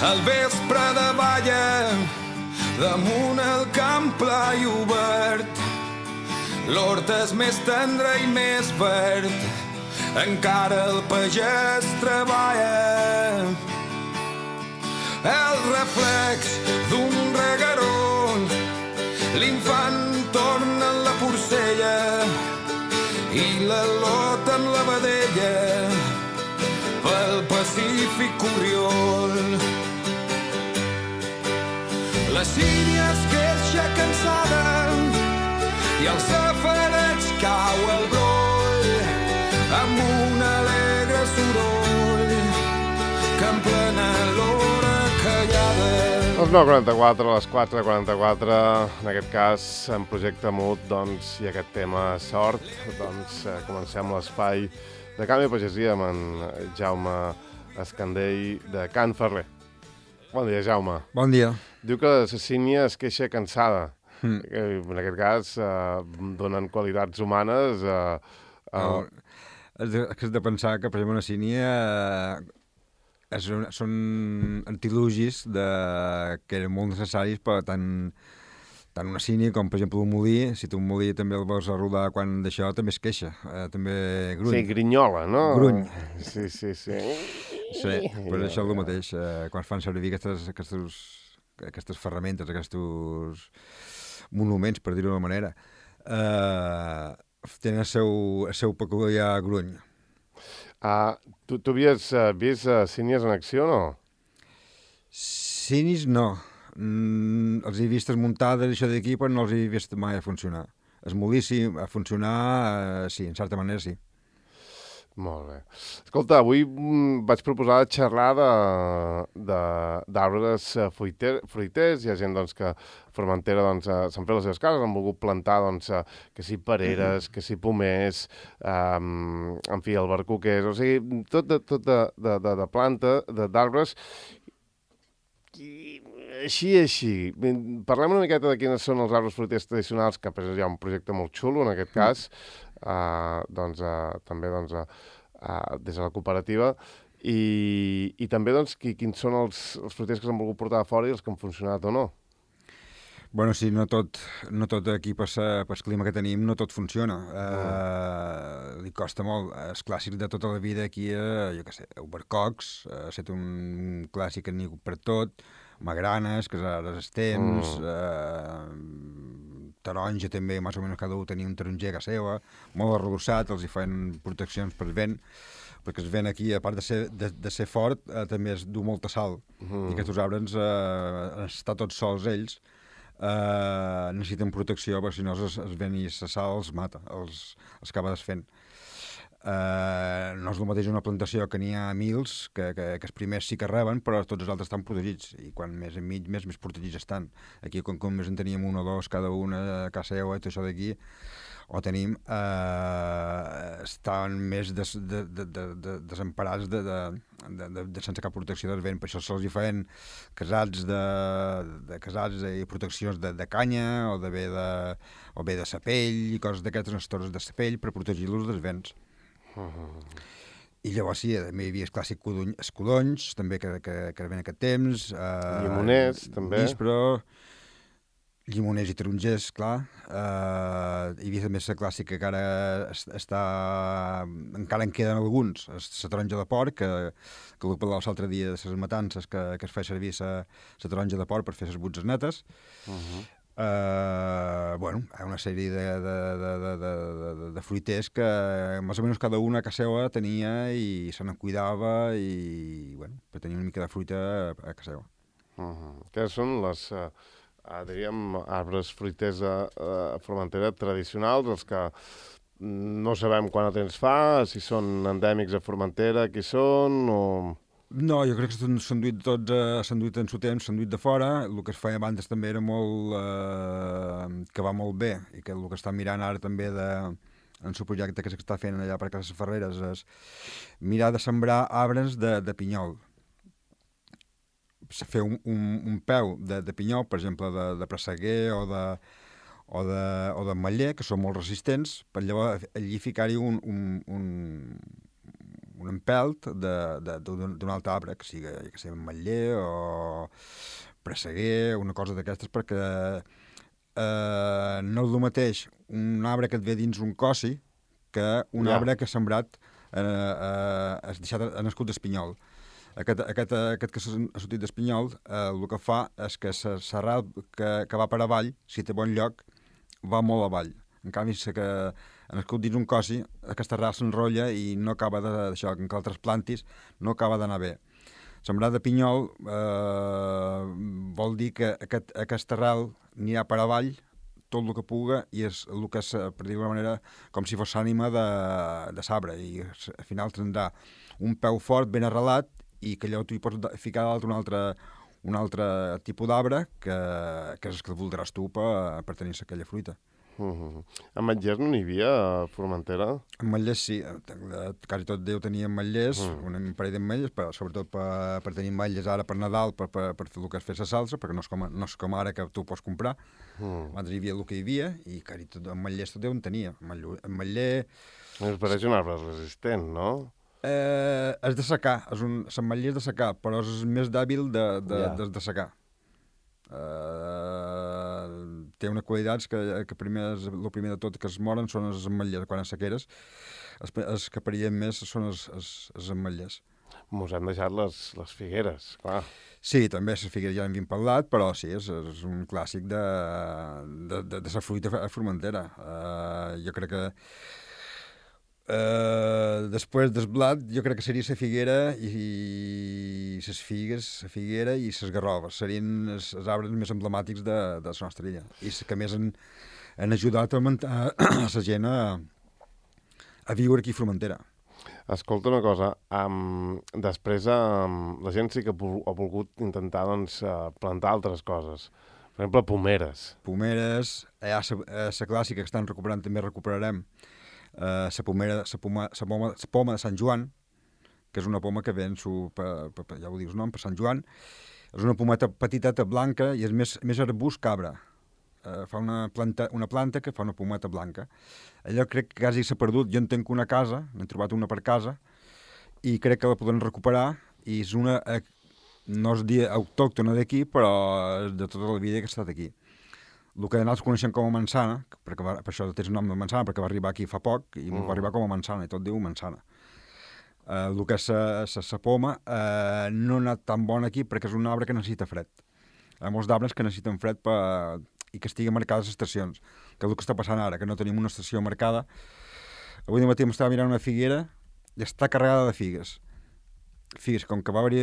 Al vespre de balla, damunt el camp pla i obert, l'hort és més tendre i més verd, encara el pagès treballa. El reflex d'un regueró, l'infant torna en la porcella i la lota en la vedella, pel Pacífic Corriol. La sínia es queixa cansada i al safareig cau el broll amb un alegre soroll que en plena l'hora callada. Les 9:44, a les 4:44, en aquest cas, en Projecte Mut, doncs, i aquest tema sort, doncs, comencem l'espai de Camp i Pagesia amb en Jaume Escandell de Can Ferrer. Bon dia, Jaume. Bon dia. Diu que la sínia es queixa cansada. En aquest cas, donen qualitats humanes. Has de pensar que, per exemple, una sínia són antilugis que eren molt necessaris per tant una sínia com, per exemple, un molí. Si tu un molí també el vols rodar quan d'això, també es queixa. També gruny. Sí, grinyola, no? Gruny. Sí. Sí, però això és el mateix. Quan fan servir aquestes ferramentes, aquests monuments, per dir-ho d'una manera, tenen el seu peculiar gruny. Tu havies vist sínies en acció, no? Sínies no. Els he vist muntades, això d'aquí, però no els he vist mai a funcionar. Es molí, a funcionar, sí, en certa manera sí. Molt bé. Escolta, avui vaig proposar xerrar d'arbres fruiters. Hi ha gent doncs, que a Formentera s'han fet les seves cases, han volgut plantar que si pereres, que si pomers, en fi, albercoquers, o sigui, tot de planta, d'arbres. Així. Parlem una miqueta de quines són els arbres fruiters tradicionals, que hi ha un projecte molt xulo, en aquest cas, també des de la cooperativa, i també quins són els fruiters que s'han volgut portar a fora i els que han funcionat o no. Bueno, sí, no tot aquí pel clima que tenim, no tot funciona. Li costa molt. Els clàssics de tota la vida aquí, jo què sé, albercocs, ha estat un clàssic que n'hi ha per tot, magranes, casades estens, taronja també, més o menys cada un tenia un taronger a casa seva, molt arrebossat, els hi fan proteccions per vent, perquè el vent aquí, a part de ser fort, també es du molta sal. I aquests arbres, estar tots sols ells, necessiten protecció, perquè si no el vent i la sal els mata, els acaba desfent. No és el mateix una plantació que n'hi ha mils, que els primers sí que reben, però tots els altres estan protegits, i quan més enmig, més protegits estan. Aquí, com més en teníem un o dos, cada una a casa seva, i tot això d'aquí, o tenim, estan més desemparats sense cap protecció del vent. Per això se'ls hi feien casats i proteccions de canya, o bé de sapell, i coses d'aquestes, unes torres de sapell, per protegir-los dels vents. I llavors sí, també hi havia el clàssic escudonys, també que ven aquest temps. Llimoners, també. Llimoners i tarongers, clar. Hi havia també la clàssica que encara en queden alguns. La taronja de porc, que el parlava l'altre dia de les matances, que es feia servir la taronja de porc per fer les butzes netes. Bueno, hi ha una sèrie de fruiters que més o menys cada una a casa seva tenia i se n'en cuidava i, bueno, per tenir una mica de fruita a casa seva. Que són les, diríem, arbres fruiters a Formentera tradicionals, els que no sabem quant de temps fa, si són endèmics a Formentera, qui són, o... No, jo crec que s'han duit tots, s'han duit en su temps, s'han duit de fora. El que es feia abans també era molt... que va molt bé, i que el que està mirant ara també en el projecte que s'està fent allà per Cases Ferreres és mirar de sembrar arbres de pinyol. Fer un peu de pinyol, per exemple, de presseguer o de maller, que són molt resistents, per llavors allí ficar-hi un empelt d'un altre arbre, que sigui, que sigui ametller o presseguer, una cosa d'aquestes, perquè no és el mateix un arbre que et ve dins un cossi que un arbre que ha sembrat, ha nascut d'espinyol. Aquest que ha sortit d'espinyol, el que fa és que l'arrel que va per avall, si té bon lloc, va molt avall. En canvi, si que ha nascut dins un cossi, aquesta arrel s'enrotlla i no acaba d'això, que altres plantis no acaba d'anar bé. Sembrar de pinyol vol dir que aquesta arrel anirà per avall tot el que puga i és el que és, per dir-ho d'alguna manera, com si fos l'ànima de l'arbre i al final tindrà un peu fort, ben arrelat, i que allò tu hi pots ficar dalt un altre tipus d'arbre que és el que voldràs tu per tenir aquella fruita. Ametllers no n'hi havia a Formentera? Ametllers sí, quasi tot Déu tenia ametllers, un parell d'ametllers, sobretot per tenir ametllers ara per Nadal, per fer el que és fer la salsa, perquè no és com ara que tu pots comprar. Abans hi havia el que hi havia i quasi tot ametllers tot Déu en tenia. Ametller... Es pareix un arbre resistent, no? És de secar, l'ametller és de secar, però és més dèbil de secar. Té unes qualitats que el primer de tot que es moren són els ametllers quan a sequeres, els que perillen més són els ametllers. Mos han deixat les figueres, clar. Sí, també les figueres ja n'hem parlat, però sí, és un clàssic de la fruita a Formentera. Jo crec que després del blat, jo crec que seria la figuera i les figues, la figuera i les garroves. Serien els arbres més emblemàtics de la nostra illa. I que més han ajudat a la gent a viure aquí a Formentera. Escolta una cosa, després la gent sí que ha volgut intentar plantar altres coses. Per exemple, pomeres. Pomeres, hi ha la clàssica que estan recuperant, també recuperarem, la poma de Sant Joan, que és una poma que ven, ja ho dius, no? Per Sant Joan. És una pometa petiteta blanca i és més arbust cabra. Fa una planta que fa una pometa blanca. Allò crec que quasi s'ha perdut. Jo en tenc una casa, n'he trobat una per casa, i crec que la podem recuperar, i és una, no es dia autòctona d'aquí, però és de tota la vida que ha estat aquí. El que nosaltres coneixem com a manzana, per això té el nom de manzana, perquè va arribar aquí fa poc i va arribar com a manzana, i tot diu manzana. El que és la poma no ha anat tan bona aquí perquè és un arbre que necessita fred. Hi ha molts arbres que necessiten fred i que estiguen marcades les estacions, que és el que està passant ara, que no tenim una estació marcada. Avui de matí m'estava mirant una figuera i està carregada de figues. Figues, com que va haver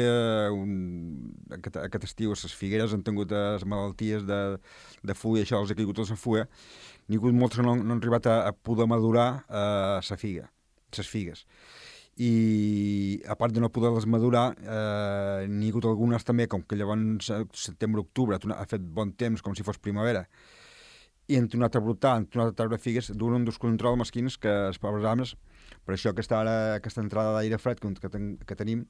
aquest estiu les figueres han tingut les malalties de fulla, això, els ha caigut tota la fulla, n'hi ha hagut moltes que no han arribat a poder madurar les figues. I a part de no poder-les madurar, n'hi ha hagut algunes també, com que llavors setembre-octubre ha fet bon temps, com si fos primavera, i han tornat a brotar, han tornat a treure figues, d'un descontrol mesquins que els pobres arbres, per això aquesta entrada d'aire fred que tenim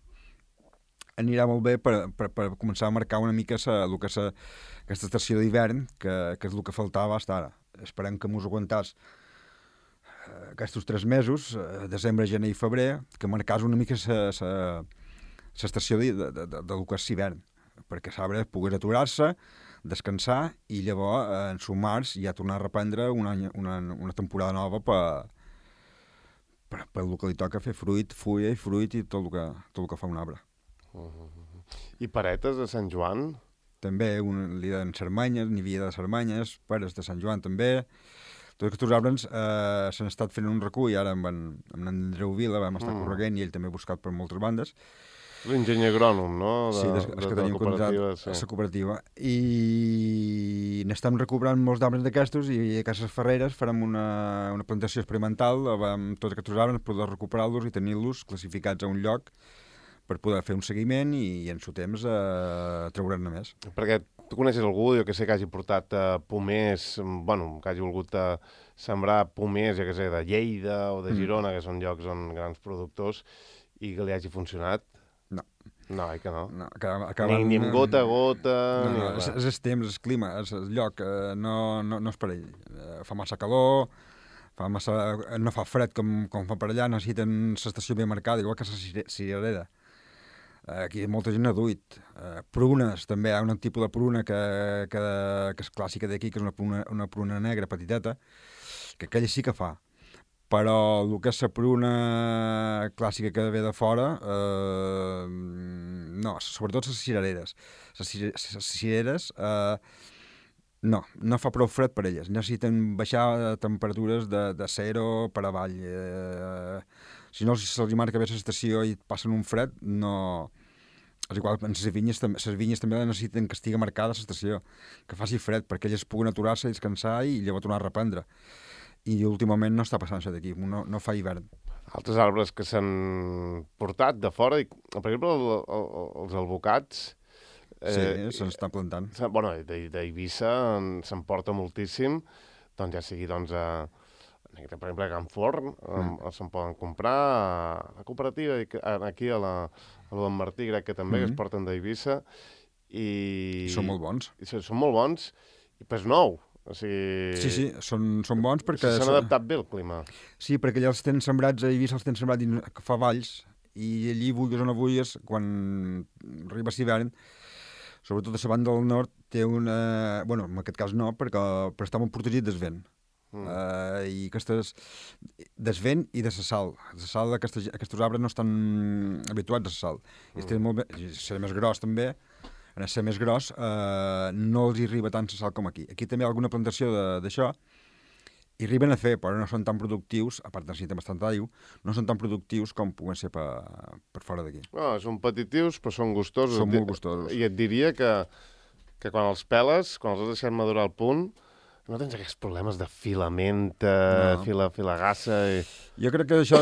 anirà molt bé per començar a marcar una mica aquesta estació d'hivern, que és el que faltava fins ara. Esperem que mos aguantàs aquests 3 mesos, desembre, gener i febrer, que marcàs una mica l'estació del que és l'hivern, perquè l'arbre pogués aturar-se, descansar i llavors en març ja tornar a reprendre una temporada nova per el que li toca fer fruit, fulla i fruit i tot el que fa un arbre. I paretes de Sant Joan? També, li deien Cermanyes, n'hi havia de Cermanyes, pares de Sant Joan també. Tots aquests arbres s'han estat fent un recull, ara amb en Andreu Vila vam estar correguent i ell també ha buscat per moltes bandes. L'enginyer agrònom, no? Sí, és que tenim contractat a la cooperativa. I n'estem recuperant molts arbres d'aquestos i a Cases Ferreres farem una plantació experimental amb tots aquests arbres, poder recuperar-los i tenir-los classificats a un lloc per poder fer un seguiment i en su temps treure'n-ne més. Perquè tu coneixes algú, jo que sé, que hagi portat pomers, que hagi volgut sembrar pomers, jo que sé, de Lleida o de Girona, que són llocs on grans productors, i que li hagi funcionat? No. No, que no. Ni amb gota a gota... No, és el temps, el clima, és el lloc, no és per ell. Fa massa calor, no fa fred com fa per allà, necessiten l'estació ben marcada, igual que la cirerera. Aquí molta gent ha duit. Prunes, també hi ha un tipus de pruna que és clàssica d'aquí, que és una pruna negra petiteta, que aquella sí que fa. Però el que és la pruna clàssica que ve de fora, no, sobretot les cirereres. Les cireres no fa prou fred per elles. Necessiten baixar temperatures de 0 per avall. Si no se'ls marca bé l'estació i passen un fred, no... És igual, en les vinyes també necessiten que estigui marcada l'estació, que faci fred, perquè elles puguen aturar-se, descansar i llavors tornar a reprendre. I últimament no està passant això d'aquí, no fa hivern. Altres arbres que s'han portat de fora, per exemple, els alvocats... Sí, se'n plantant. Bueno, d'Eivissa se'n porta moltíssim, doncs ja sigui, per exemple, a Can Forn, se'n poden comprar a la cooperativa, aquí a l'En Martí, crec que també, que es porten d'Eivissa. I són molt bons. Són molt bons, i pes nou. O sigui... Sí, són bons perquè... S'han adaptat bé al clima. Sí, perquè allà els tenen sembrats, a Eivissa els tenen sembrats que fa valls, i allí, vulguis o no vulguis, quan arriba l'hivern, sobretot a la banda del nord, té una... Bueno, en aquest cas no, però està molt protegit del vent. I aquestes... del vent i de la sal. La sal, aquests arbres no estan habituats a la sal. I estan molt bé... Ser més gros, també. En ser més gros, no els hi arriba tant la sal com aquí. Aquí també hi ha alguna plantació d'això, i arriben a fer, però no són tan productius, a part necessiten bastant aigua, no són tan productius com puguen ser per fora d'aquí. No, són petitius, però són gustosos. Són molt gustosos. I et diria que quan els peles, quan els has deixat madurar al punt, no tens aquests problemes de filamenta, filagassa... Jo crec que això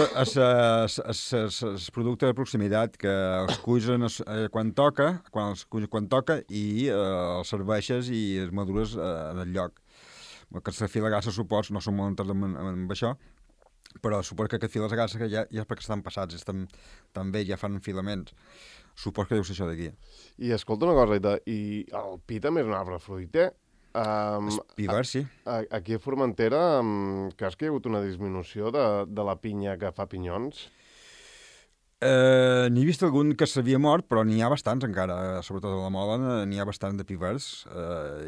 és producte de proximitat, que els cuisen quan toca, i els serveixes i els madures en el lloc. Aquesta filagassa, suposo, no som molt entès amb això, però suposo que aquest filagassa ja és perquè estan passats, estan bé, ja fan filaments. Suposo que deu ser això d'aquí. I escolta una cosa, i el pi també és un arbre fruiter. Pivar, sí. Aquí a Formentera, creus que hi ha hagut una disminució de la pinya que fa pinyons? N'he vist algun que s'havia mort, però n'hi ha bastants encara, sobretot a la Mola, n'hi ha bastants de pivers,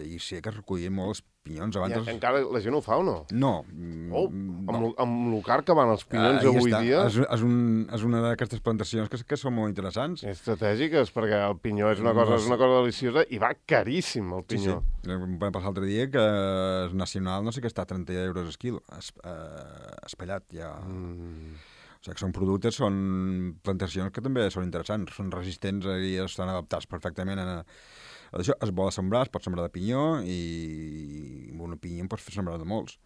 i sí que es recollien molt els pinyons abans. I encara la gent ho fa o no? No. Amb lo car que van els pinyons avui dia... És una d'aquestes plantacions que són molt interessants. Estratègiques, perquè el pinyó és una cosa deliciosa i va caríssim, el pinyó. Sí. Va passar l'altre dia que el nacional no sé què està a 30 euros el quilo, espellat ja... O sigui que són productes, són plantacions que també són interessants, són resistents i estan adaptats perfectament a això. Es vol sembrar, es pot sembrar de pinyó i amb una pinya en pots fer sembrar de molts.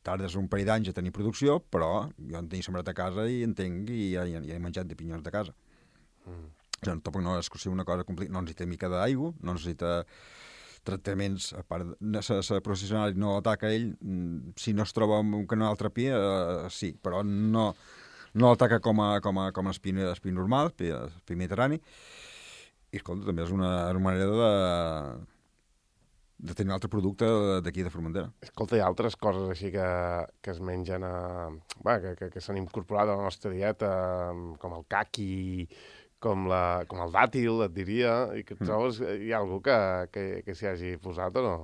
Tardes un parell d'anys a tenir producció, però jo en tenia sembrat a casa i entenc i ja he menjat de pinyons de casa. Tampoc no és una cosa complicada, no necessita mica d'aigua, no necessita tractaments, a part de processional no l'ataca ell, si no es troba un canal altre pi, sí, però no l'ataca com el pi normal, el pi mediterrani, i escolta, també és una manera de tenir un altre producte d'aquí de Formentera. Escolta, hi ha altres coses així que es mengen, que s'han incorporat a la nostra dieta, com el caqui, com el dàtil, et diria, i que et trobes, hi ha algú que s'hi hagi posat o no?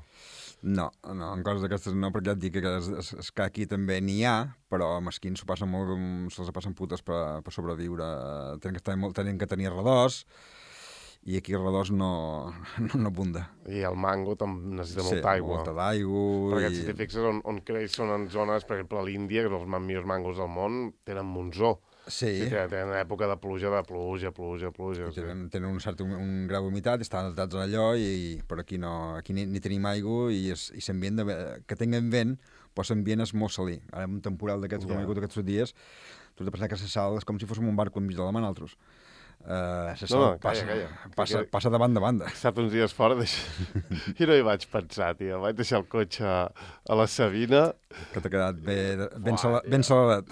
No, en coses d'aquestes no, perquè ja et dic que el caqui també n'hi ha, però a mesquins se'ls passen putes per sobreviure. Tenen que tenir redós, i aquí el redós no abunda. I el mango necessita molta aigua. Sí, molta d'aigua. Perquè si t'hi fixes on creix són en zones, per exemple, a l'Índia, que els millors mangos del món tenen monzó. Sí. Tenen època de pluja. Tenen un grau d'humitat, estan adaptats a allò, però aquí ni tenim aigua i l'ambient que tinguem vent, però l'ambient és molt salí. Ara, en un temporal d'aquests com hi ha hagut aquests dies, tu has de pensar que la sal és com si fóssim un barco enmig de la mà nosaltres. La sal passa de banda a banda. He estat uns dies fora i no hi vaig pensar, tio. Vaig deixar el cotxe a la Sabina. Que t'ha quedat ben saladat.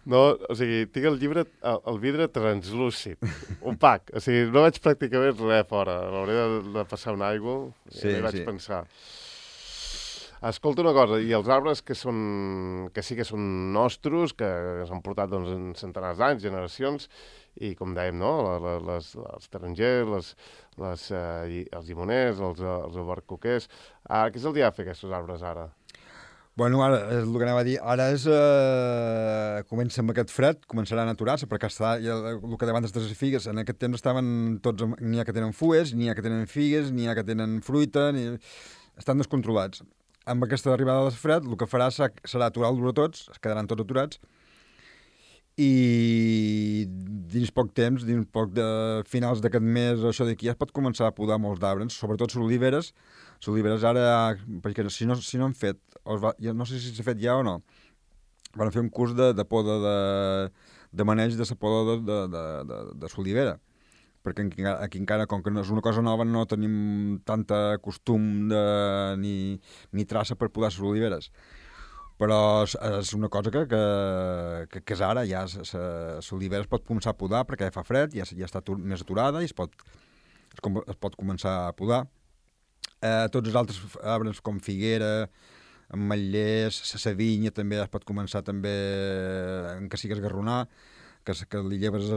No, o sigui, tinc el vidre translúcid, opac. O sigui, no vaig pràcticament res fora. L'hauré de passar una aigua i no hi vaig pensar. Escolta una cosa, i els arbres que sí que són nostres, que s'han portat doncs, en centenars d'anys, generacions, i com dèiem, no? Els tarongers, els llimoners, els albercoquers... Què se'ls ha de fer, aquests arbres, ara? Bueno, ara, és el que anava a dir, ara és... comença amb aquest fred, començaran a aturar-se, perquè el que davant de les figues, en aquest temps estaven tots... N'hi ha que tenen fues, n'hi ha que tenen figues, n'hi ha que tenen fruita, estan descontrolats. Amb aquesta arribada del fred, el que farà serà aturar-los a tots, es quedaran tots aturats, i dins poc temps, dins poc de finals d'aquest mes o això d'aquí, es pot començar a podar molts d'arbres, sobretot les oliveres ara, perquè si no han fet, no sé si s'ha fet ja o no, van fer un curs de poda de maneig de la poda de l'olivera, perquè aquí encara, com que no és una cosa nova, no tenim tanta costum ni traça per podar les oliveres. Però és una cosa que és ara, ja l'olivera es pot començar a podar perquè fa fred, ja està més aturada i es pot començar a podar. Tots els altres arbres com figuera, ametllers, la vinya també es pot començar també, que sigui esgarronar, que li lleves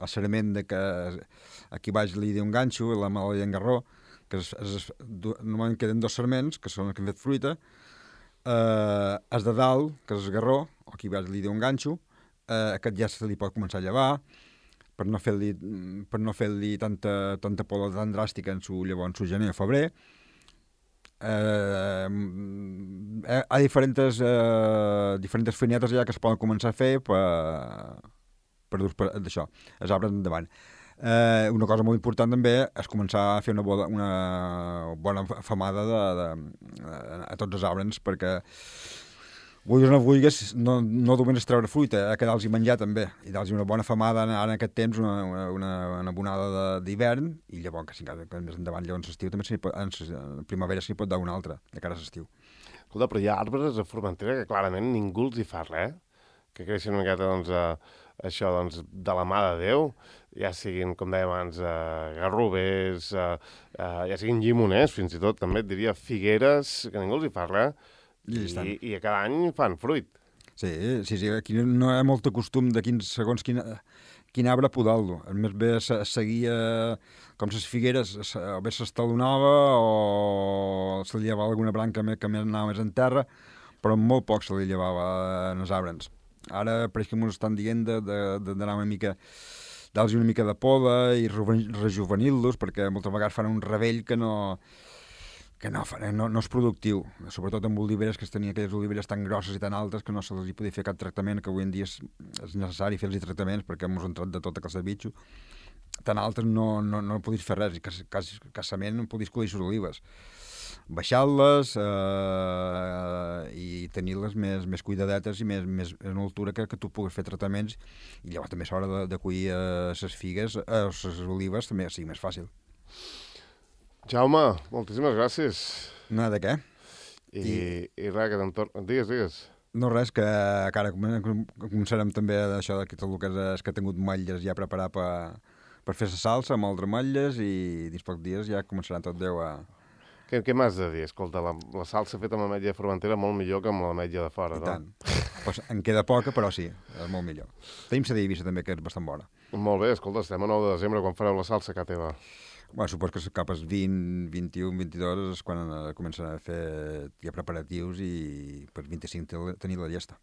el sarament de que aquí baix li diu un ganxo, la mala li engarró, que normalment queden dos sarments, que són els que han fet fruita, els de dalt, que és esgarró, o aquí baix li diu un ganxo, aquest ja se li pot començar a llevar, per no fer-li tanta poda tan dràstica en su llavor, en su gener o febrer. Hi ha diferents feinetes ja que es poden començar a fer per d'això, els arbres endavant. Una cosa molt important també és començar a fer una bona femada a tots els arbres, perquè vulguis o no vulguis, no només és treure fruita, a quedar-los menjar també, i dar-los una bona femada ara en aquest temps, una abonada d'hivern, i llavors que més endavant, llavors l'estiu també en primavera s'hi pot dar una altra, de cara a l'estiu. Escolta, però hi ha arbres a Formentera que clarament ningú els hi fa res, que creixen una miqueta, doncs, això, doncs, de la mà de Déu, ja siguin, com dèiem abans, garrovers, ja siguin llimoners, fins i tot, també et diria, figueres, que ningú els hi fa res, i a cada any fan fruit. Sí, aquí no hi ha molt costum de segons quin arbre podar-lo. Més bé seguia com les figueres, o bé s'estalonava o se li llevava alguna branca que anava més en terra, però molt poc se li llevava en els arbres. Ara pareix que ens estan dient d'anar una mica, dar-los una mica de poda i rejuvenir-los, perquè moltes vegades fan un ravell que no és productiu, sobretot amb oliveres, que es tenia aquelles oliveres tan grosses i tan altes que no se les hi podia fer cap tractament, que avui en dia és necessari fer-los tractaments perquè hem entrat de tota classe de bitxo. Tan altes no podies fer res, i escassament no podies collir les olives. Baixar-les i tenir-les més cuidadetes i més en altura que tu puguis fer tractaments, i llavors també és hora de collir les figues, les olives també sigui més fàcil. Jaume, moltíssimes gràcies. No, de què? I res, que t'entorn... Digues. No, res, que ara començarem també d'això que tot el que és que he tingut motlles ja preparar per fer la salsa, moldre motlles, i dins pocs dies ja començaran tot Déu a... Què m'has de dir? Escolta, la salsa feta amb ametlla de Formentera molt millor que amb l'ametlla de fora, no? I tant. Pues en queda poca, però sí, és molt millor. Tenim la d'Eivissa també, que és bastant bona. Molt bé, escolta, estem a 9 de desembre, quan fareu la salsa a casa teva? Bueno, suposo que cap als 20, 21, 22 és quan comencen a fer ja preparatius i per 25 tenir la llesta.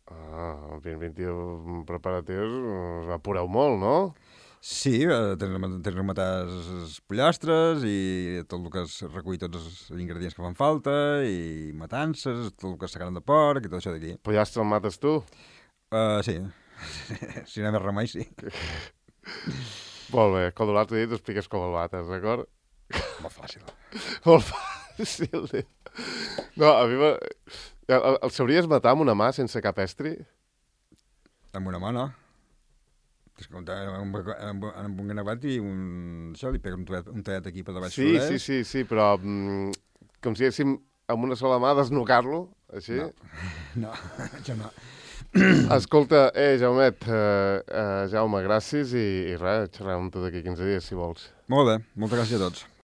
21 preparatius, us apureu molt, no? Sí, tens rematar els pollastres i tot el que es recull, tots els ingredients que fan falta, i matances, tot el que és carn de porc i tot això d'aquí. Pollastre el mates tu? Sí, si no hi ha més remei, sí. Molt bé, com l'altre dia t'expliques com el bates, d'acord? Molt fàcil. Molt fàcil, tio. No, a mi el sabries matar amb una mà sense cap estri? Amb una mà, no? Amb un gravat i això, li pega un tallet aquí per davall. Sí, però com si haguéssim amb una sola mà desnucar-lo, així? No, això no. Escolta, Jaumet, Jaume, gràcies i res, xerrem amb tu d'aquí 15 dies, si vols. Molt bé, moltes gràcies a tots.